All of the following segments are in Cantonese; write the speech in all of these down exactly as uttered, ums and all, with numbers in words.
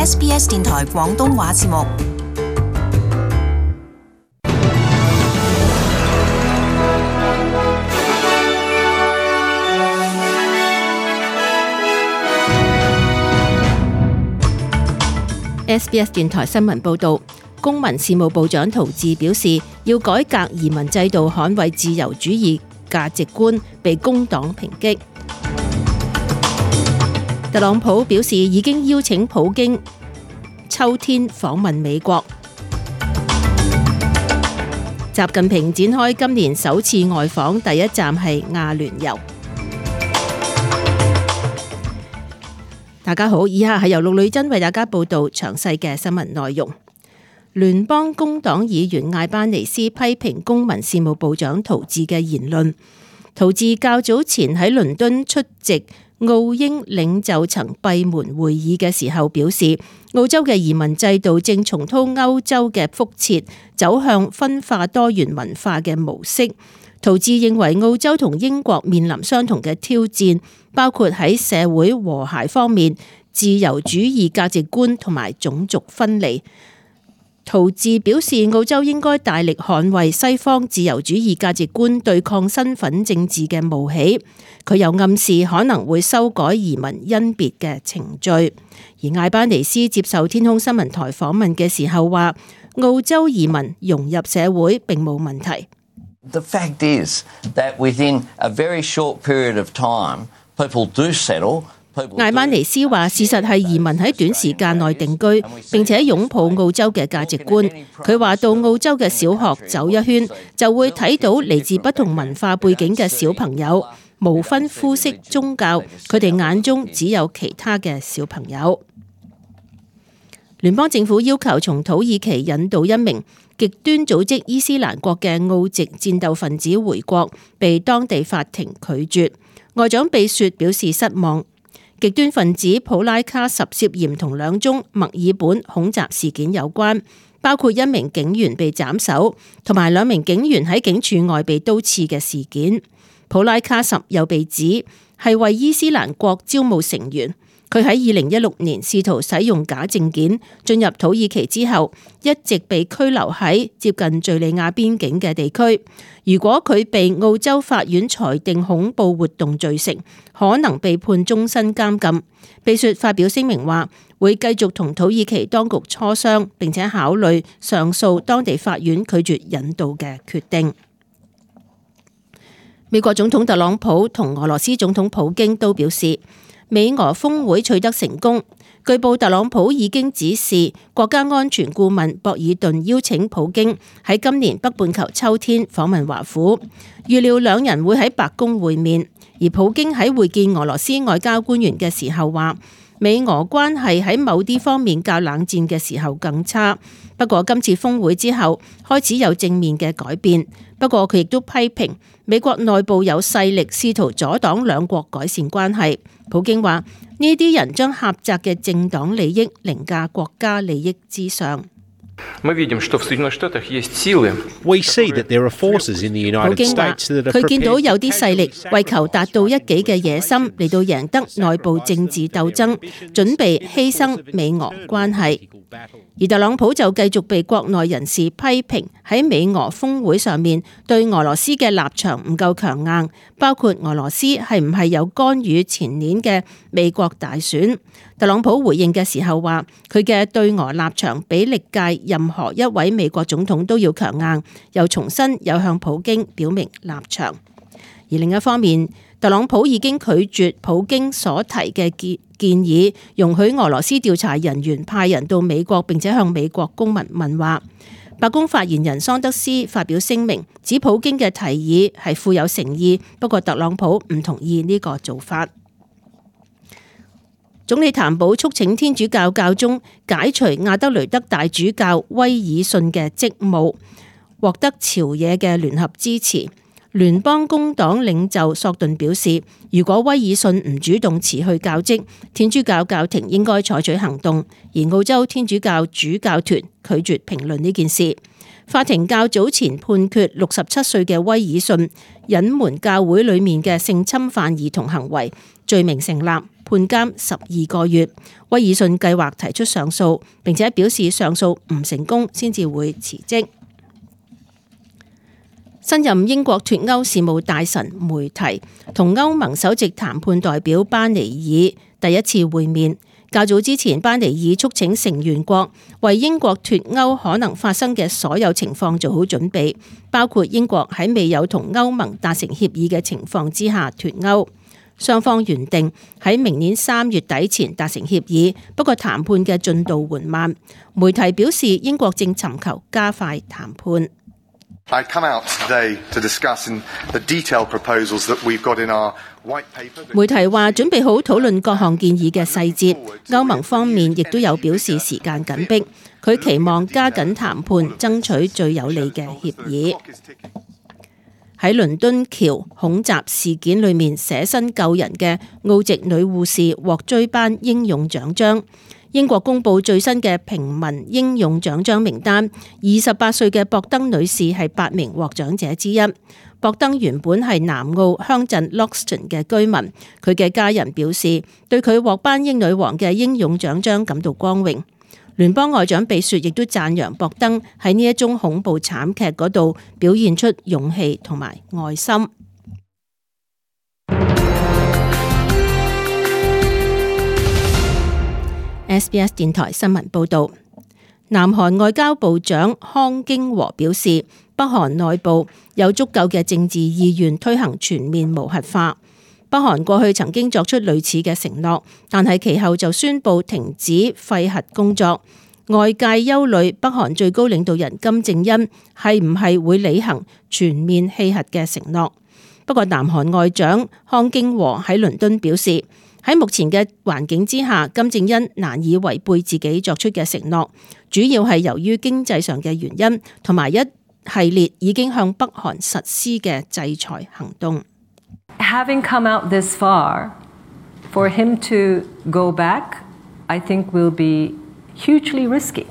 S B S 電台廣東話節目。S B S 電台新聞報道，公民事務部長陶治表示，要改革移民制度，捍衛自由主義價值觀，被工黨抨擊。特朗普表示已經邀請普京秋天訪問美國。習近平展開今年首次外訪，第一站係亞聯酋。大家好，以下係由陸女珍為大家報道詳細嘅新聞內容。聯邦工黨議員艾班尼斯批評公民事務部長陶治嘅言論。陶治較早前喺倫敦出席澳英領袖層閉門會議嘅時候表示，澳洲嘅移民制度正重蹈歐洲嘅覆轍，走向分化多元文化嘅模式。陶治認為澳洲同英國面臨相同嘅挑戰，包括喺社會和諧方面、自由主義價值觀同埋種族分離。陶治表示，澳洲應該大力捍衛西方自由主義價值觀，對抗身份政治嘅冒起。佢又暗示可能會修改移民甄別嘅程序。而艾班尼斯接受天空新聞台訪問嘅時候話，澳洲移民融入社會並冇問題。The fact is that within a very short period of time, people do settle. 艾班尼斯話：事實係移民喺短時間內定居，並且擁抱澳洲嘅價值觀。佢話到澳洲嘅小學走一圈，就會睇到嚟自不同文化背景嘅小朋友，無分膚色、宗教，佢哋眼中只有其他嘅小朋友。聯邦政府要求從土耳其引渡一名極端組織伊斯蘭國嘅澳籍戰鬥分子回國，被當地法庭拒絕。外長貝雪表示失望。極端分子普拉卡什涉嫌同兩宗墨爾本恐襲事件有關，包括一名警員被斬首，同埋兩名警員喺警署外被刀刺嘅事件。普拉卡什又被指係為伊斯蘭國招募成員。佢喺二零一六年試圖使用假證件進入土耳其之後，一直被拘留喺接近敘利亞邊境嘅地區。如果佢被澳洲法院裁定恐怖活動罪成，可能被判終身監禁。貝雪發表聲明話，會繼續同土耳其當局磋商，並且考慮上訴當地法院拒絕引渡嘅決定。美國總統特朗普同俄羅斯總統普京都表示，美俄峰會取得成功。據報特朗普已經指示國家安全顧問博爾頓邀請普京喺今年北半球秋天訪問華府，預料兩人會喺白宮會面。而普京喺會見俄羅斯外交官員嘅時候話，美俄關係喺某啲方面較冷戰嘅時候更差。不過今次峰會之後開始有正面嘅改變。不過佢亦都批評美國內部有勢力試圖阻擋兩國改善關係。普京話呢啲人將狹窄嘅政黨利益凌駕國家利益之上。We see that there are forces in the United States that are prepared. 佢見到有啲勢力為求達到一己嘅野心嚟到贏得內部政治鬥爭，準備犧牲美俄關係。而特朗普就繼續被國內人士批評喺美俄峰會上面對俄羅斯嘅立場唔夠強硬，包括俄羅斯係唔係有干預前年嘅美國大選。特朗普回應嘅時候話，佢嘅對俄立場比歷屆任何一位美國總統都要強硬，又重申有向普京表明立場。而另一方面，特朗普已經拒絕普京所提嘅建建議，容許俄羅斯調查人員派人到美國，並且向美國公民問話。白宮發言人桑德斯發表聲明，指普京嘅提議係富有誠意，不過特朗普唔同意呢個做法。總理譚寶促請天主教教宗解除亞德雷德大主教威爾遜嘅職務，獲得朝野嘅聯合支持。聯邦工黨領袖索頓表示，如果威爾遜唔主動辭去教職，天主教教廷應該採取行動。而澳洲天主教主教團拒絕評論呢件事。法庭較早前判決六十七歲嘅威爾遜隱瞞教會裡面嘅性侵犯兒童行為，罪名成立，判監十二個月。威爾遜計劃提出上訴，並且表示上訴唔成功先至會辭職。新任英國脫歐事務大臣梅提同歐盟首席談判代表班尼爾第一次會面。較早之前，班尼爾促請成員國為英國脫歐可能發生嘅所有情況做好準備，包括英國喺未有同歐盟達成協議嘅情況之下脫歐。雙方原定喺明年三月底前達成協議，不過談判嘅進度緩慢。梅提表示，英國正尋求加快談判。I come out today to discuss the detailed proposals that we've got in our white paper. 梅提話準備好討論各項建議嘅細節，歐盟方面亦都有表示時間緊迫，佢期望加緊談判，爭取最有利嘅協議。喺倫敦橋恐襲事件裏面捨身救人嘅澳籍女護士獲追頒英勇獎章。英國公布最新嘅平民英勇獎章名單，二十八歲嘅博登女士係八名獲獎者之一。博登原本係南澳鄉鎮 Loxton 嘅居民，佢嘅家人表示對佢獲頒英女王嘅英勇獎章感到光榮。聯邦外長比雪亦都讚揚博登喺呢一宗恐怖慘劇嗰度表現出勇氣同埋愛心。S B S 電台新聞報道，南韓外交部長康京和表示，北韓內部有足夠嘅政治意願推行全面無核化。北韓過去曾經作出類似嘅承諾，但係其後就宣布停止廢核工作。外界憂慮北韓最高領導人金正恩係唔係會履行全面棄核嘅承諾。不過南韓外長康京和喺倫敦表示，喺目前嘅環境之下，金正恩難以違背自己作出嘅承諾，主要係由於經濟上嘅原因，同埋一系列已經向北韓實施嘅制裁行動。Having come out this far, for him to go back, I think will be hugely risky.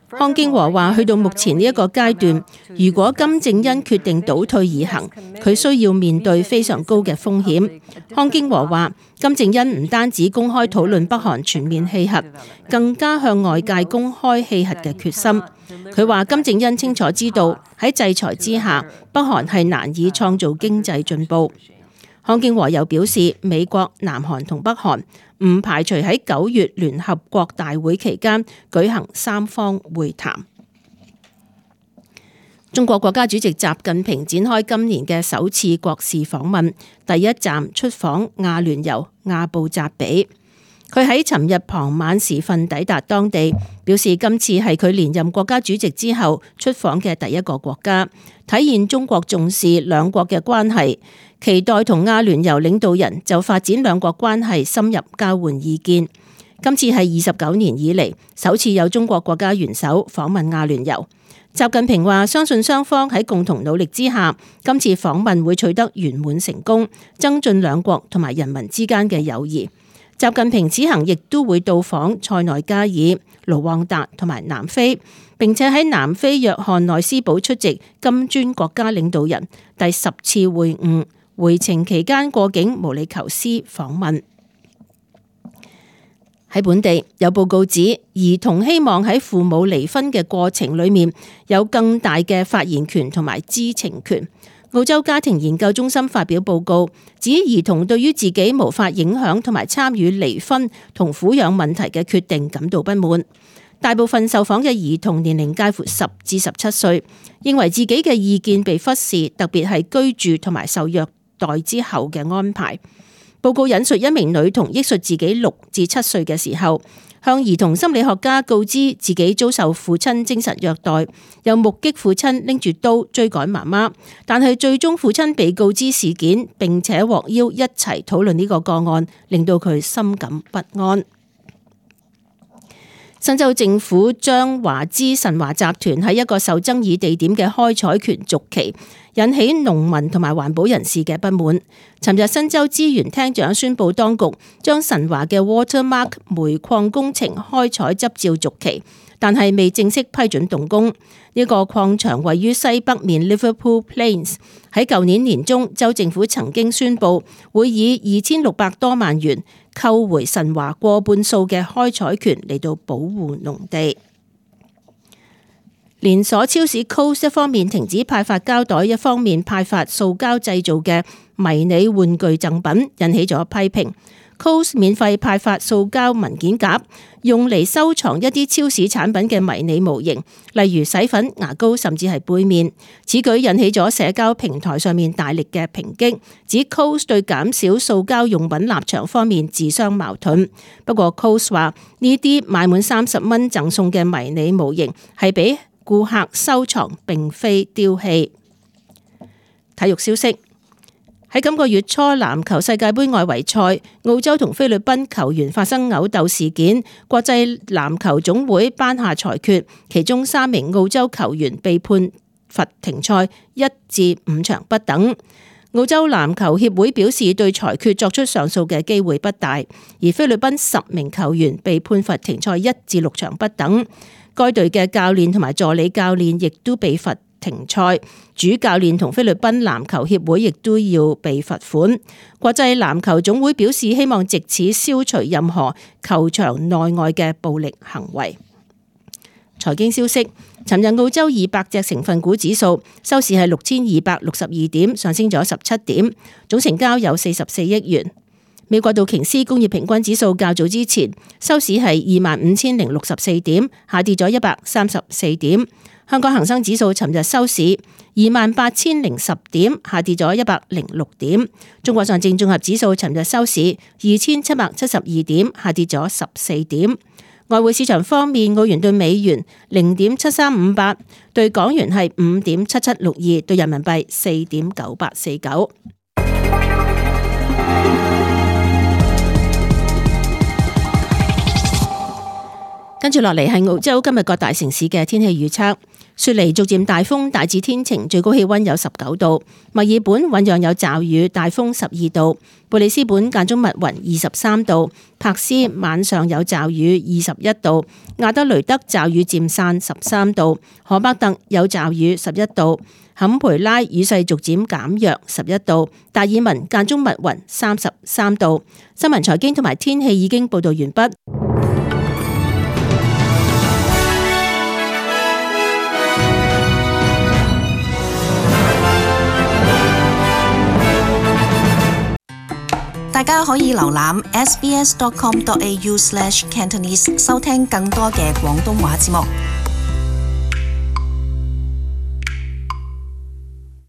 康京和話：去到目前呢一個階段，如果金正恩決定倒退而行，佢需要面對非常高嘅風險。康京和話：金正恩唔單止公開討論北韓全面棄核，更加向外界公開棄核嘅決心。佢話金正恩清楚知道喺制裁之下，北韓係難以創造經濟進步。康京和又表示，美國、南韓同北韓唔排除喺九月聯合國大會期間舉行三方會談。中國國家主席習近平展開今年嘅首次國事訪問，第一站出訪阿聯酋阿布扎比。佢喺尋日傍晚時分抵達當地，表示今次係佢連任國家主席之後出訪嘅第一個國家，體現中國重視兩國嘅關係，期待同阿聯酋領導人就發展兩國關係深入交換意見。今次係二十九年以嚟首次有中國國家元首訪問阿聯酋。習近平話：相信雙方喺共同努力之下，今次訪問會取得圓滿成功，增進兩國同埋人民之間嘅友誼。習近平此行亦都會到訪塞內加爾、盧旺達同埋南非，並且喺南非約翰內斯堡出席金磚國家領導人第十次會晤。回程期間過境毛里求斯訪問。喺本地有報告指，兒童希望喺父母離婚嘅過程裡面有更大嘅發言權同埋知情權。澳洲家庭研究中心發表報告，指兒童對於自己無法影響同埋參與離婚同撫養問題嘅決定感到不滿。大部分受訪嘅兒童年齡介乎十至十七歲，認為自己嘅意見被忽視，特別係居住同埋受虐待之後嘅安排。報告引述一名女童憶述自己六至七歲嘅時候，向兒童心理學家告知自己遭受父親精神虐待，又目擊父親拎住刀追趕媽媽，但係最終父親被告知事件，並且獲邀一齊討論呢個個案，令到佢深感不安。新州政府將華資神華集團喺一個受爭議地點嘅開採權續期，引起農民同埋環保人士嘅不滿。尋日新州資源廳長宣布，當局將神華嘅 Watermark 煤礦工程開採執照續期，但係未正式批准動工。呢個礦場位於西北面 Liverpool Plains。喺舊年年中，州政府曾經宣布會以二千六百多萬元扣回神華過半數嘅開採權嚟到保護農地。連鎖超市 Coles 一方面停止派發膠袋，一方面派發塑膠製造嘅迷你玩具贈品，引起咗批評。Coles 免費派發塑膠文件夾，用嚟收藏一啲超市產品嘅迷你模型，例如洗粉、牙膏，甚至係杯麵。此舉引起咗社交平台上面大力嘅抨擊，指 Coles 對減少塑膠用品立場方面自相矛盾。不過 Coles 話呢啲買滿三十蚊贈送嘅迷你模型係俾顧客收藏，並非丟棄。體育消息。喺今個月初籃球世界盃外圍賽，澳洲同菲律賓球員發生毆鬥事件，國際籃球總會頒下裁決，其中三名澳洲球員被判罰停賽一至五場不等。澳洲籃球協會表示對裁決作出上訴嘅機會不大，而菲律賓十名球員被判罰停賽一至六場不等。該隊嘅教練同埋助理教練亦都被罰停賽，主教練同菲律賓籃球協會亦都要被罰款。國際籃球總會表示希望藉此消除任何球場內外嘅暴力行為。財經消息，尋日澳洲二百隻成分股指數收市係六千二百六十二點，上升咗十七點，總成交有四十四億元。美國道瓊斯工業平均指數較早之前收市係二萬五千零六十四點，下跌咗一百三十四點。香港恒生指數尋日收市二萬八千零十點，下跌咗一百零六點。中國上證綜合指數尋日收市二千七百七十二點，下跌咗十四點。外匯市場方面，澳元對美元零點七三五八，對港元係五點七七六二，對人民幣四點九八四九。跟住落嚟係澳洲今日各大城市嘅天氣預測。雪梨逐漸大風，大致天晴，最高氣溫有十九度。墨爾本醞釀有驟雨，大風十二度。貝里斯本間中密雲，二十三度。柏斯晚上有驟雨，二十一度。亞德雷德驟雨漸散，十三度。荷伯特有驟雨，十一度。坎培拉雨勢逐漸減弱，十一度。達爾文間中密雲，三十三度。新聞財經同埋天氣已經報道完畢。大家可以瀏覽 s b s dot com dot a u slash cantonese 收聽更多嘅廣東話節目。